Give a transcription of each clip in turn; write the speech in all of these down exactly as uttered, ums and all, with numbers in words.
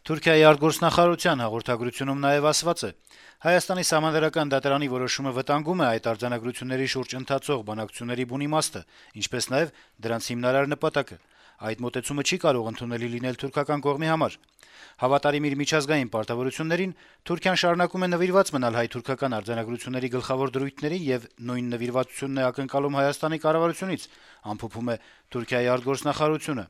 Թուրքիայի արտգործնախարարության հաղորդագրությունում նաեւ ասված է. Հայաստանի սահմանադրական դատարանի որոշումը վտանգում է այդ արձանագրությունների շուրջ ընթացող բանակցությունների բուն իմաստը, ինչպես նաեւ դրանց հիմնարար նպատակը։ Այդ մոտեցումը չի կարող ընդունելի լինել թուրքական կողմի համար։ Հավատարիմ իր միջազգային պարտավորություններին Թուրքիան շարունակում է նվիրված մնալ հայ-թուրքական արձանագրությունների գլխավոր դրույթներին եւ նույն նվիրվածությունն է ակնկալում Հայաստանի կառավարությունից, ամփոփում է Թուրքիայի արտգործնախարարությունը։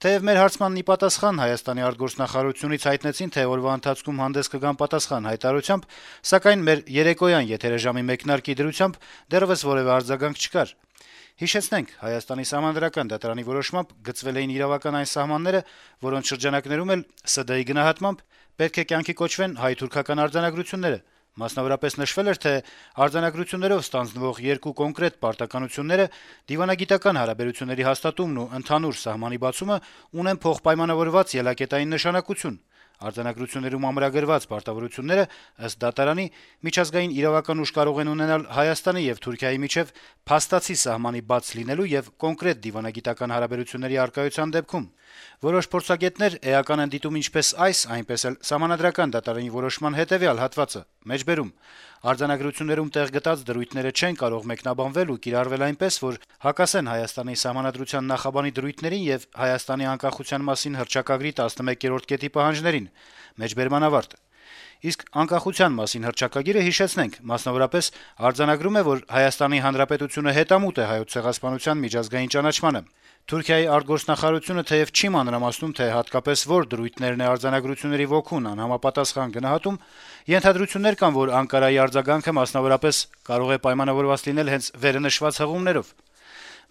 Թեև մեր հարցմանն ի պատասխան Հայաստանի արտգործնախարարությունից հայտնեցին, թե օրվա ընթացքում հանդես կգան պատասխան հայտարարությամբ, սակայն մեր երեկոյան եթերաժամի մեկնարկի դրությամբ դեռևս որեւէ արձագանք չկար։ Հիշեցնենք, Հայաստանի սահմանադրական դատարանի որոշմամբ գծվել էին իրավական այն սահմանները, որոնց շրջանակներում էլ ՍԴ-ի գնահատմամբ պետք է կյանքի կոչվեն հայ-թուրքական արձանագրությունները։ Մասնավորապես նշվել էր, թե արձանագրություններով ստանձնվող երկու կոնկրետ պարտականությունները դիվանագիտական հարաբերությունների հաստատումն ու ընդհանուր սահմանի բացումը ունեն փոխպայմանավորված ելակետային նշանակություն։ Արձանագրություններում ամրագրված պարտավորությունները, ըստ դատարանի, միջազգային իրավական ուժ կարող են ունենալ Հայաստանի եւ Թուրքիայի միջեւ փաստացի սահմանի բաց լինելու եւ կոնկրետ դիվանագիտական հարաբերությունների առկայության դեպքում։ Որոշ փորձագետներ էական են դիտում ինչպես այս, այնպես էլ սահմանադրական դատարանի որոշման հետեւյալ հատվածը՝ մեջբերում. արձանագրություններում տեղ գտած դրույթները չեն կարող մեկնաբանվել ու կիրառվել այնպես, որ հակասեն Հայաստանի սահմանադրության նախաբանի դրույթներին եւ Հայաստանի անկախության մասին հռչակագրի տասնմեկերորդ կետի պահանջներին։ Մեջբերման ավարտ։ Իսկ անկախության մասին հռչակագիրը, հիշեցնենք, մասնավորապես արձանագրում է, որ Հայաստանի Հանրապետությունը հետամուտ է Հայոց ցեղասպանության միջազգային ճանաչմանը։ Թուրքիայի արտգործնախարարությունը թեև չի մանրամասնում, թե հատկապես որ դրույթներն է արձանագրությունների ոգուն անհամապատասխան գնահատում, ենթադրություններ կան, որ Անկարայի արձագանքը մասնավորապես կարող է պայմանավորված լինել հենց վերնշված հղումներով։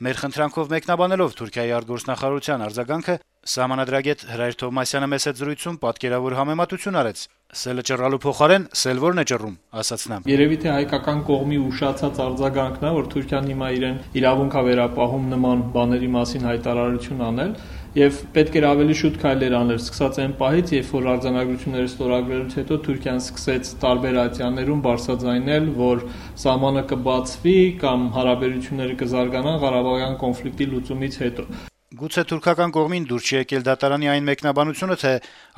Մեր խնդրանքով մեկնաբանելով Թուրքիայի արտգործնախարարության արձագանքը, սահմանադրագետ Հրայր Թովմասյանը մեծ զրույցում պատկերավոր համեմատություն արեց. «Սելը ճռալու փոխարեն սել որն է ճռում», ասաց նա։ Երևի թե հայկական կողմի ուշացած արձագանքն է, որ Թուրքիան հիմա իրեն իրավունք է վերապահում նման բաների մասին հայտարարություն անել, եւ պետք էր ավելի շուտ քայլեր անել, սկսած այն պահից, երբ որ արձանագրությունները ստորագրելուց հետո Թուրքիան սկսեց տարբեր ատյաններում բարձրաձայնել, որ սահմանը կբացվի կամ հարաբերությունները կզարգանան Ղարաբաղյան կոնֆլիկտի լուծումից հետո։ Գուցե թուրքական կողմին դուր չի եկել դատարանի այն մեկնաբանությունը, թե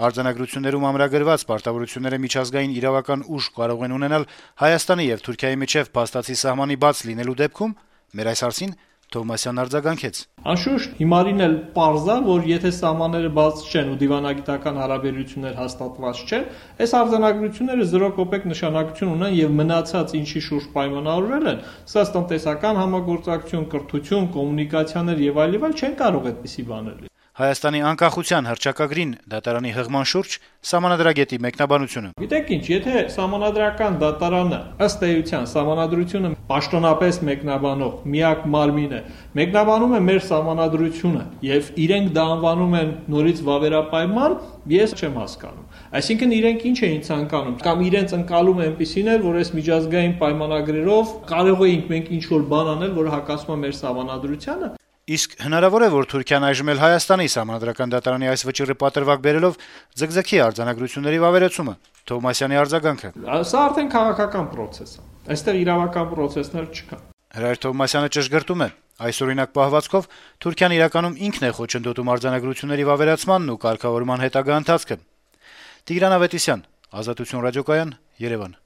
արձանագրություններում ամրագրված պարտավորությունները միջազգային իրավական ուժ կարող են ունենալ Հայաստանի եւ Թուրքիայի միջեւ փաստացի սահմանի բաց լինելու դեպքում։ Մեր այս հարցին Թովմասյանն արձագանքեց. Անշուշտ հիմարին էլ պարզ է, որ եթե սահմանները բաց չեն ու դիվանագիտական հարաբերություններ հաստատված չեն, այս արձանագրությունները զրո կոպեկ նշանակություն ունեն եւ մնացած ինչի շուրջ պայմանավորվել են, սա տնտեսական համագործակցություն, կրթություն, կոմունիկացիաներ եւ այլ եւ այլ չեն կարող այդպիսի բաներ լինել։ Հայաստանի անկախության հռչակագրին դատարանի հղման շուրջ սահմանադրագետի մեկնաբանությունը. Գիտեք ինչ, եթե սահմանադրական դատարանը ըստ էության սահմանադրությունը պաշտոնապես մեկնաբանող միակ մարմին է, մեկնաբանում է մեր սահմանադրությունը եւ իրենք դա անվանում են նորից վավերապայման, ես չեմ հասկանում։ Այսինքն իրենք ինչ էին ցանկանում, կամ իրենց ընկալում է այնպիսին էր, որ այս միջազգային պայմանագրերով կարող էինք մենք ինչ որ բան անել, որ հակասում է մեր սահմանադրությանը։ Իսկ հնարավոր է, որ Թուրքիան այժմ էլ Հայաստանի սահմանադրական դատարանի այս վճիռը պատրվակ բերելով ձգձգի արձանագրությունների վավերացումը։ Թովմասյանի արձագանքը. Սա արդեն քաղաքական process է։ Այստեղ իրավական process-ներ չկան։ Հրայր Թովմասյանը ճշգրտում է. այսօրինակ պահվածքով Թուրքիան իրականում ինքն է խոչընդոտում արձանագրությունների վավերացմանն ու կարգավորման հետագա ընթացքը։ Տիգրան Ավետիսյան, Ազատություն ռադիոկայան, Երևան։